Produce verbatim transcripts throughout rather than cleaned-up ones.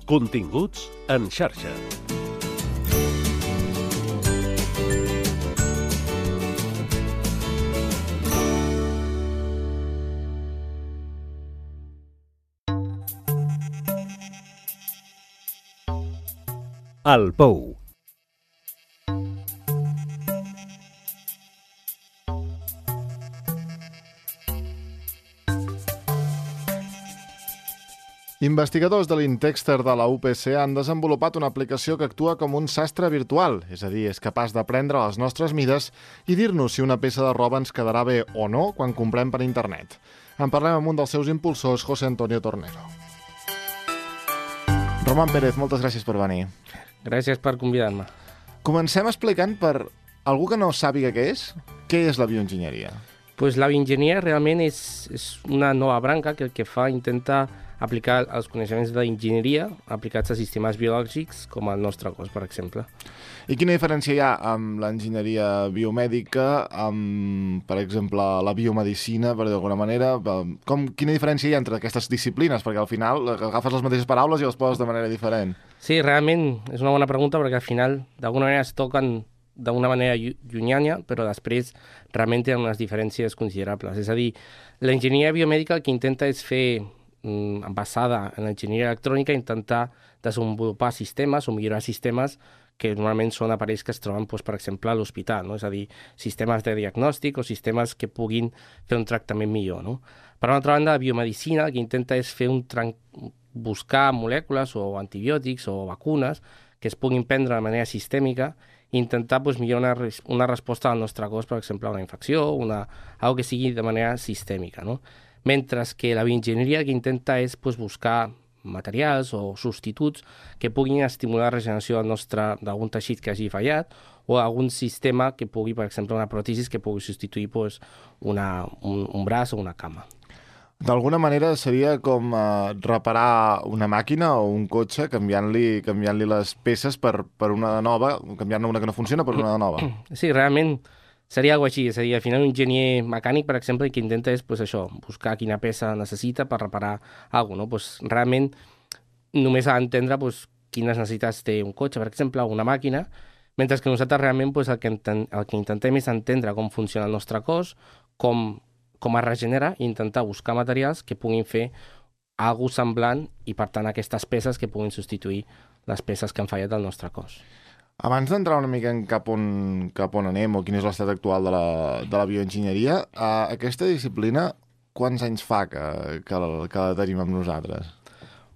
Continguts en xarxa. El Pou. Investigadors de l'Intexter de la U P C han desenvolupat una aplicació que actua com un sastre virtual, és a dir, és capaç d'aprendre les nostres mides i dir-nos si una peça de roba ens quedarà bé o no quan comprem per internet. En parlem amb un dels seus impulsors, José Antonio Tornero. Roman Pérez, moltes gràcies per venir. Gràcies per convidar-me. Comencem explicant per algú que no sàpiga què és, què és la bioenginyeria? Pues la bioenginyeria realment és, és una nova branca que el que fa intenta aplicar els coneixements d'enginyeria aplicats a sistemes biològics com el nostre cos, per exemple. I quina diferència hi ha amb l'enginyeria biomèdica, amb, per exemple, la biomedicina, per d'alguna manera? Com, quina diferència hi ha entre aquestes disciplines? Perquè al final agafes les mateixes paraules i les poses de manera diferent. Sí, realment és una bona pregunta perquè al final d'alguna manera es toquen d'una manera llunyana, però després realment tenen unes diferències considerables. És a dir, l'enginyeria biomèdica el que intenta és fer, basada en l'enginyeria electrònica, intentar desenvolupar sistemes o millorar sistemes que normalment són aparells que es troben, doncs, per exemple, a l'hospital, no? És a dir, sistemes de diagnòstic o sistemes que puguin fer un tractament millor, no? Per una altra banda, la biomedicina el que intenta és fer un tran... buscar molècules o antibiòtics o vacunes que es puguin prendre de manera sistèmica i intentar doncs, millorar una, una resposta al nostre cos, per exemple, a una infecció, una... algo que sigui de manera sistèmica, no? Mentre que la bioenginyeria el que intenta és pues, buscar materials o substituts que puguin estimular la regeneració del nostre d'algun teixit que hagi fallat o algun sistema que pugui, per exemple, una pròtesi que pugui substituir pues, una, un, un braç o una cama. D'alguna manera seria com eh, reparar una màquina o un cotxe canviant-li canviant-li les peces per, per una nova, canviant-ne una que no funciona per una nova. Sí, realment seria alguna cosa així, és a dir, al final un enginyer mecànic, per exemple, el que intenta és pues, això, buscar quina peça necessita per reparar alguna cosa, no? Pues, realment només ha d'entendre pues, quines necessitats té un cotxe, per exemple, o una màquina, mentre que nosaltres realment pues, el, que enten, el que intentem és entendre com funciona el nostre cos, com, com es regenera i intentar buscar materials que puguin fer alguna cosa semblant i, per tant, aquestes peces que puguin substituir les peces que han fallat al nostre cos. Abans d'entrar una mica en cap on, cap on anem o quin és l'estat actual de la, de la bioenginyeria, eh, aquesta disciplina quants anys fa que, que, la, que la tenim amb nosaltres?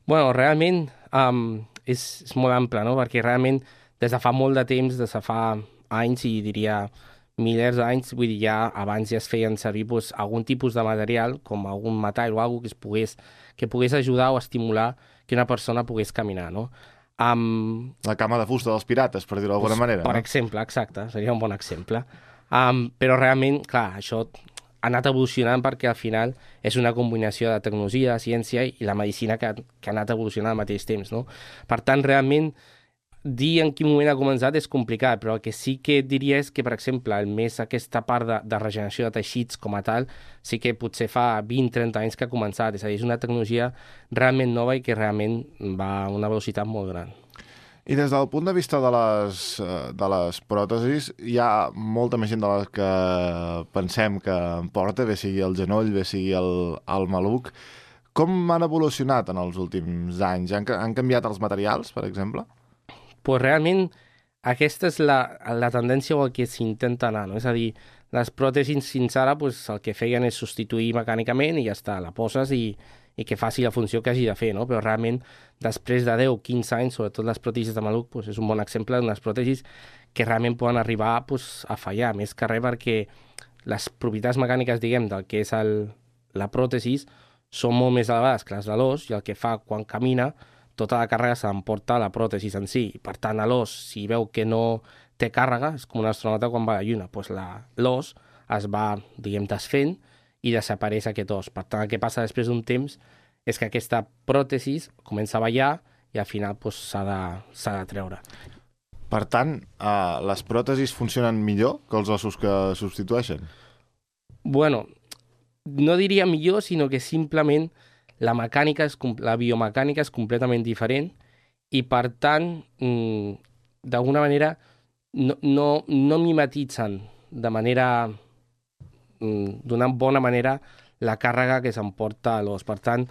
Bueno, realment um, és, és molt ample, no? Perquè realment des de fa molt de temps, des de fa anys i diria milers d'anys, vull dir, ja abans ja es feien servir pues, algun tipus de material, com algun metall o alguna cosa que, es pogués, que pogués ajudar o estimular que una persona pogués caminar, no? Um, la cama de fusta dels pirates, per dir-ho d'alguna manera. Per no? exemple, exacte, seria un bon exemple. Um, però realment, clar, això ha anat evolucionant perquè al final és una combinació de tecnologia, de ciència i la medicina que, que ha anat evolucionant al mateix temps, no? Per tant, realment, dir en quin moment ha començat és complicat, però el que sí que diria és que, per exemple, el més aquesta part de, de regeneració de teixits com a tal, sí que potser fa vint a trenta anys que ha començat. És a dir, és una tecnologia realment nova i que realment va a una velocitat molt gran. I des del punt de vista de les, de les pròtesis, hi ha molta més gent de les que pensem que en porta, bé sigui el genoll, bé sigui el, el maluc. Com han evolucionat en els últims anys? Han, han canviat els materials, per exemple? Pues realment aquesta és la, la tendència o el que s'intenta anar, no? És a dir, les pròtesis fins ara pues, el que feien és substituir mecànicament i ja està, la poses i, i que faci la funció que hagi de fer, no? Però realment després de deu a quinze anys, sobretot les pròtesis de maluc, pues, és un bon exemple d'unes pròtesis que realment poden arribar pues, a fallar, més que res perquè les propietats mecàniques, diguem, del que és el, la pròtesis són molt més elevades que les de l'os i el que fa quan camina tota la càrrega se l'emporta la pròtesi en si. Per tant, l'os, si veu que no té càrrega, és com un astronauta quan va a la Lluna, doncs l'os es va, diguem, desfent i desapareix aquest os. Per tant, el que passa després d'un temps és que aquesta pròtesi comença a ballar i al final doncs, s'ha de, s'ha de treure. Per tant, eh, les pròtesis funcionen millor que els ossos que substitueixen? Bueno, no diria millor, sinó que simplement la mecànica, és, la biomecànica és completament diferent i, per tant, mm, d'alguna manera no, no, no mimetitzen de manera, mm, d'una bona manera, la càrrega que s'emporta l'os. Per tant,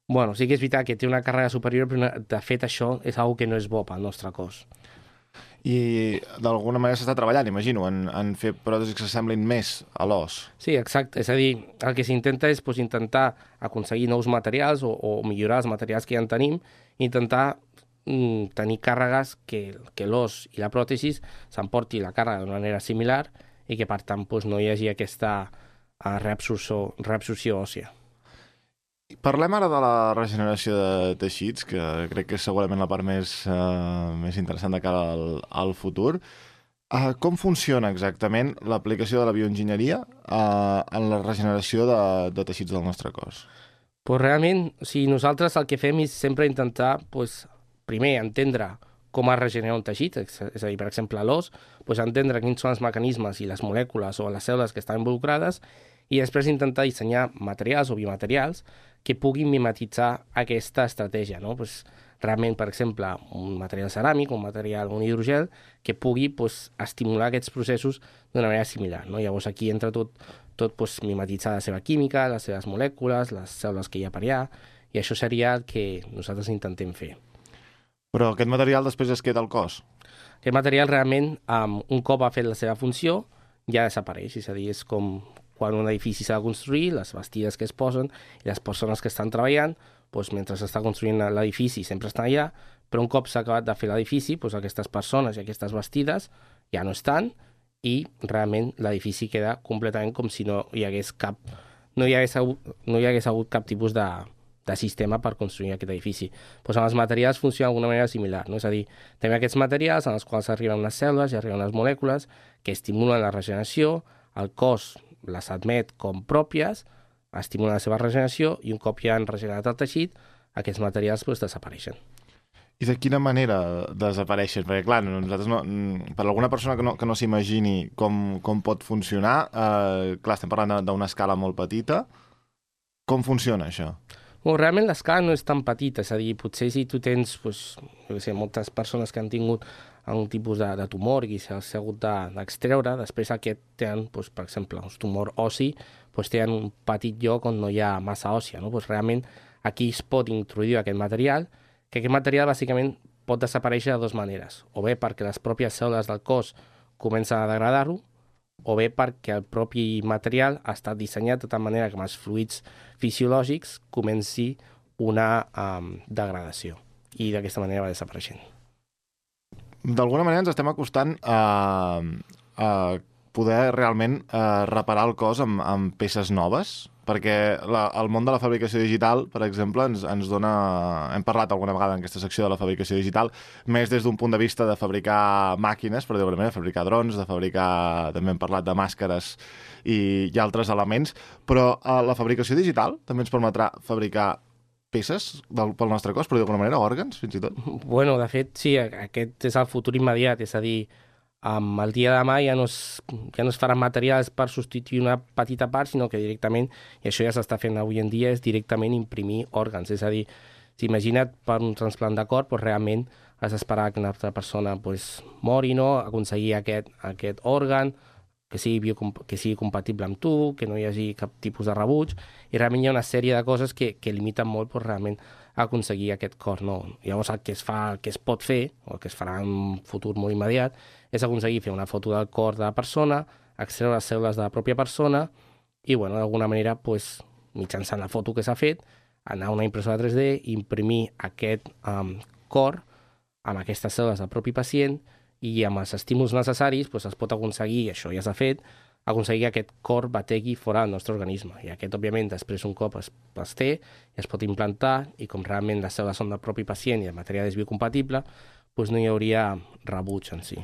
bueno, sí que és veritat que té una càrrega superior, però de fet això és una que no és bo pel nostre cos. I d'alguna manera s'està treballant, imagino, en, en fer pròtesis que s'assemblin més a l'os. Sí, exacte. És a dir, el que s'intenta és pues, intentar aconseguir nous materials o, o millorar els materials que ja en tenim, intentar mm, tenir càrregues que, que l'os i la pròtesi s'emporti la càrrega d'una manera similar i que, per tant, pues, no hi hagi aquesta uh, reabsorció, reabsorció òssia. Parlem ara de la regeneració de teixits, que crec que és segurament la part més, uh, més interessant de cara al, al futur. Uh, com funciona exactament l'aplicació de la bioenginyeria uh, en la regeneració de, de teixits del nostre cos? Pues realment, o sigui, nosaltres el que fem és sempre intentar, pues, primer, entendre com es regenera un teixit, és a dir, per exemple, l'os, pues, entendre quins són els mecanismes i les molècules o les cèl·lules que estan involucrades i després intentar dissenyar materials o biomaterials que puguin mimetitzar aquesta estratègia, no? Pues, realment, per exemple, un material ceràmic, un material, un hidrogel, que pugui pues, estimular aquests processos d'una manera similar, no? Llavors aquí entra tot, tot pues, mimetitzar la seva química, les seves molècules, les cèl·lules que hi ha per allà, i això seria el que nosaltres intentem fer. Però aquest material després es queda al cos? Aquest material realment, um, un cop ha fet la seva funció, ja desapareix, és a dir, és com quan un edifici s'ha de construir, les bastides que es posen i les persones que estan treballant, doncs, mentre s'està construint l'edifici sempre estan allà, però un cop s'ha acabat de fer l'edifici, doncs, aquestes persones i aquestes bastides ja no estan i realment l'edifici queda completament com si no hi hagués cap, no hi hagués hagut, no hi hagués hagut cap tipus de, de sistema per construir aquest edifici. Doncs amb els materials funciona d'alguna manera similar, no? És a dir, tenim aquests materials en els quals arriben unes cèl·lules i arriben unes molècules que estimulen la regeneració, el cos les admet com pròpies, estimulen la seva regeneració i un cop ja han regenerat el teixit, aquests materials doncs, desapareixen. I de quina manera desapareixen? Perquè, clar, nosaltres no, per alguna persona que no, que no s'imagini com, com pot funcionar, eh, clar, estem parlant d'una escala molt petita. Com funciona això? Bueno, realment l'escala no és tan petita, és a dir, potser si tu tens, doncs, jo sé, moltes persones que han tingut un tipus de, de tumor i s'ha hagut d'extreure, de, després aquest tenen, doncs, per exemple, un tumor ossi, doncs tenen un petit lloc on no hi ha massa òssia, no? Doncs realment aquí es pot introduir aquest material, que aquest material bàsicament pot desaparèixer de dues maneres, o bé perquè les pròpies cèl·lules del cos comencen a degradar-ho, o bé perquè el propi material ha estat dissenyat de tal manera que amb els fluids fisiològics comenci una um, degradació i d'aquesta manera va desapareixent. D'alguna manera ens estem acostant a, a poder realment a reparar el cos amb, amb peces noves, perquè la, el món de la fabricació digital, per exemple, ens, ens dona... Hem parlat alguna vegada en aquesta secció de la fabricació digital, més des d'un punt de vista de fabricar màquines, per dir-ho de fabricar drons, de fabricar... També hem parlat de màscares i, i altres elements, però a la fabricació digital també ens permetrà fabricar peces del, pel nostre cos, però d'alguna manera òrgans, fins i tot. Bueno, de fet, sí, aquest és el futur immediat, és a dir, um, el dia de demà ja no, es, ja no es faran materials per substituir una petita part, sinó que directament, i això ja s'està fent avui en dia, és directament imprimir òrgans, és a dir, si imagina't per un transplant de cor, doncs realment has d'esperar que una altra persona doncs, mori, no? Aconseguir aquest, aquest òrgan, que sigui, biocomp que sigui compatible amb tu, que no hi hagi cap tipus de rebuig, i realment hi ha una sèrie de coses que, que limiten molt pues, realment aconseguir aquest cor. No? Llavors el que es fa, el que es pot fer, o el que es farà en un futur molt immediat, és aconseguir fer una foto del cor de la persona, extreure les cèl·lules de la pròpia persona, i bueno, d'alguna manera, pues, mitjançant la foto que s'ha fet, anar a una impressora tres D, imprimir aquest um, cor amb aquestes cèl·lules del propi pacient, i amb els estímuls necessaris doncs, es pot aconseguir, això ja s'ha fet, aconseguir que aquest cor bategui fora del nostre organisme. I aquest, òbviament, després un cop es, es té, es pot implantar, i com realment les cèl·lules són del propi pacient i el material és biocompatible, doncs no hi hauria rebuig en si.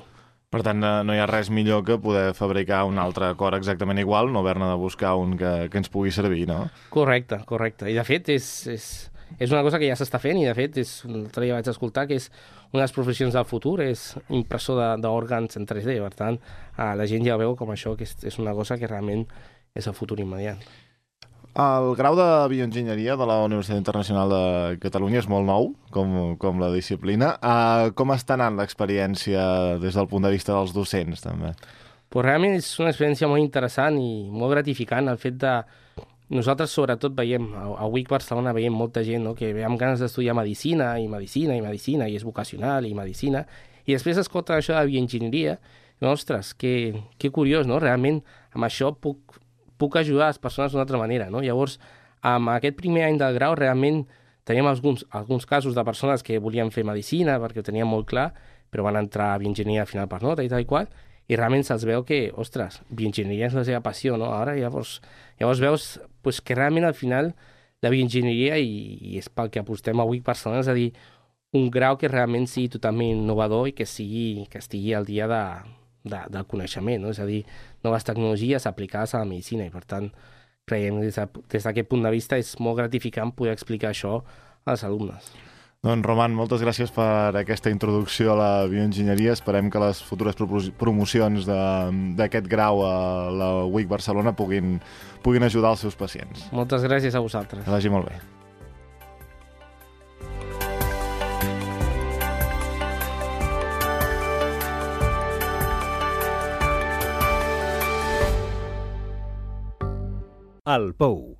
Per tant, no hi ha res millor que poder fabricar un altre cor exactament igual, no haver-ne de buscar un que, que ens pugui servir, no? Correcte, correcte. I de fet és... és... És una cosa que ja s'està fent i, de fet, és, l'altre dia vaig escoltar que és una de les professions del futur, és impressor d'òrgans en tres D. Per tant, la gent ja veu com això, que és, és una cosa que realment és el futur immediat. El grau de bioenginyeria de la Universitat Internacional de Catalunya és molt nou, com, com la disciplina. Uh, com està anant l'experiència des del punt de vista dels docents, també? Pues realment és una experiència molt interessant i molt gratificant el fet de... Nosaltres sobretot veiem, a, a U I C Barcelona veiem molta gent, no?, que ve amb ganes d'estudiar medicina i medicina i medicina i és vocacional i medicina i després escolta això de bioenginyeria i, ostres, que, que curiós, no? Realment amb això puc, puc ajudar les persones d'una altra manera, no? Llavors, amb aquest primer any del grau realment teníem alguns, alguns casos de persones que volien fer medicina perquè ho tenien molt clar, però van entrar a bioenginyeria al final per nota i tal i qual, i realment se'ls veu que, ostres, bioenginyeria és la seva passió, no? Ara llavors, llavors veus pues, que realment al final la bioenginyeria, i, i és pel que apostem avui per Barcelona, és a dir, un grau que realment sigui totalment innovador i que, sigui, que estigui al dia de, de, del coneixement, no? És a dir, noves tecnologies aplicades a la medicina i per tant creiem que des, de, des d'aquest punt de vista és molt gratificant poder explicar això als alumnes. Doncs, Roman, moltes gràcies per aquesta introducció a la bioenginyeria. Esperem que les futures promocions d'aquest grau a la U I C Barcelona puguin, puguin ajudar els seus pacients. Moltes gràcies a vosaltres. Que vagi molt bé. El Pou.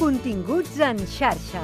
Continguts en xarxa.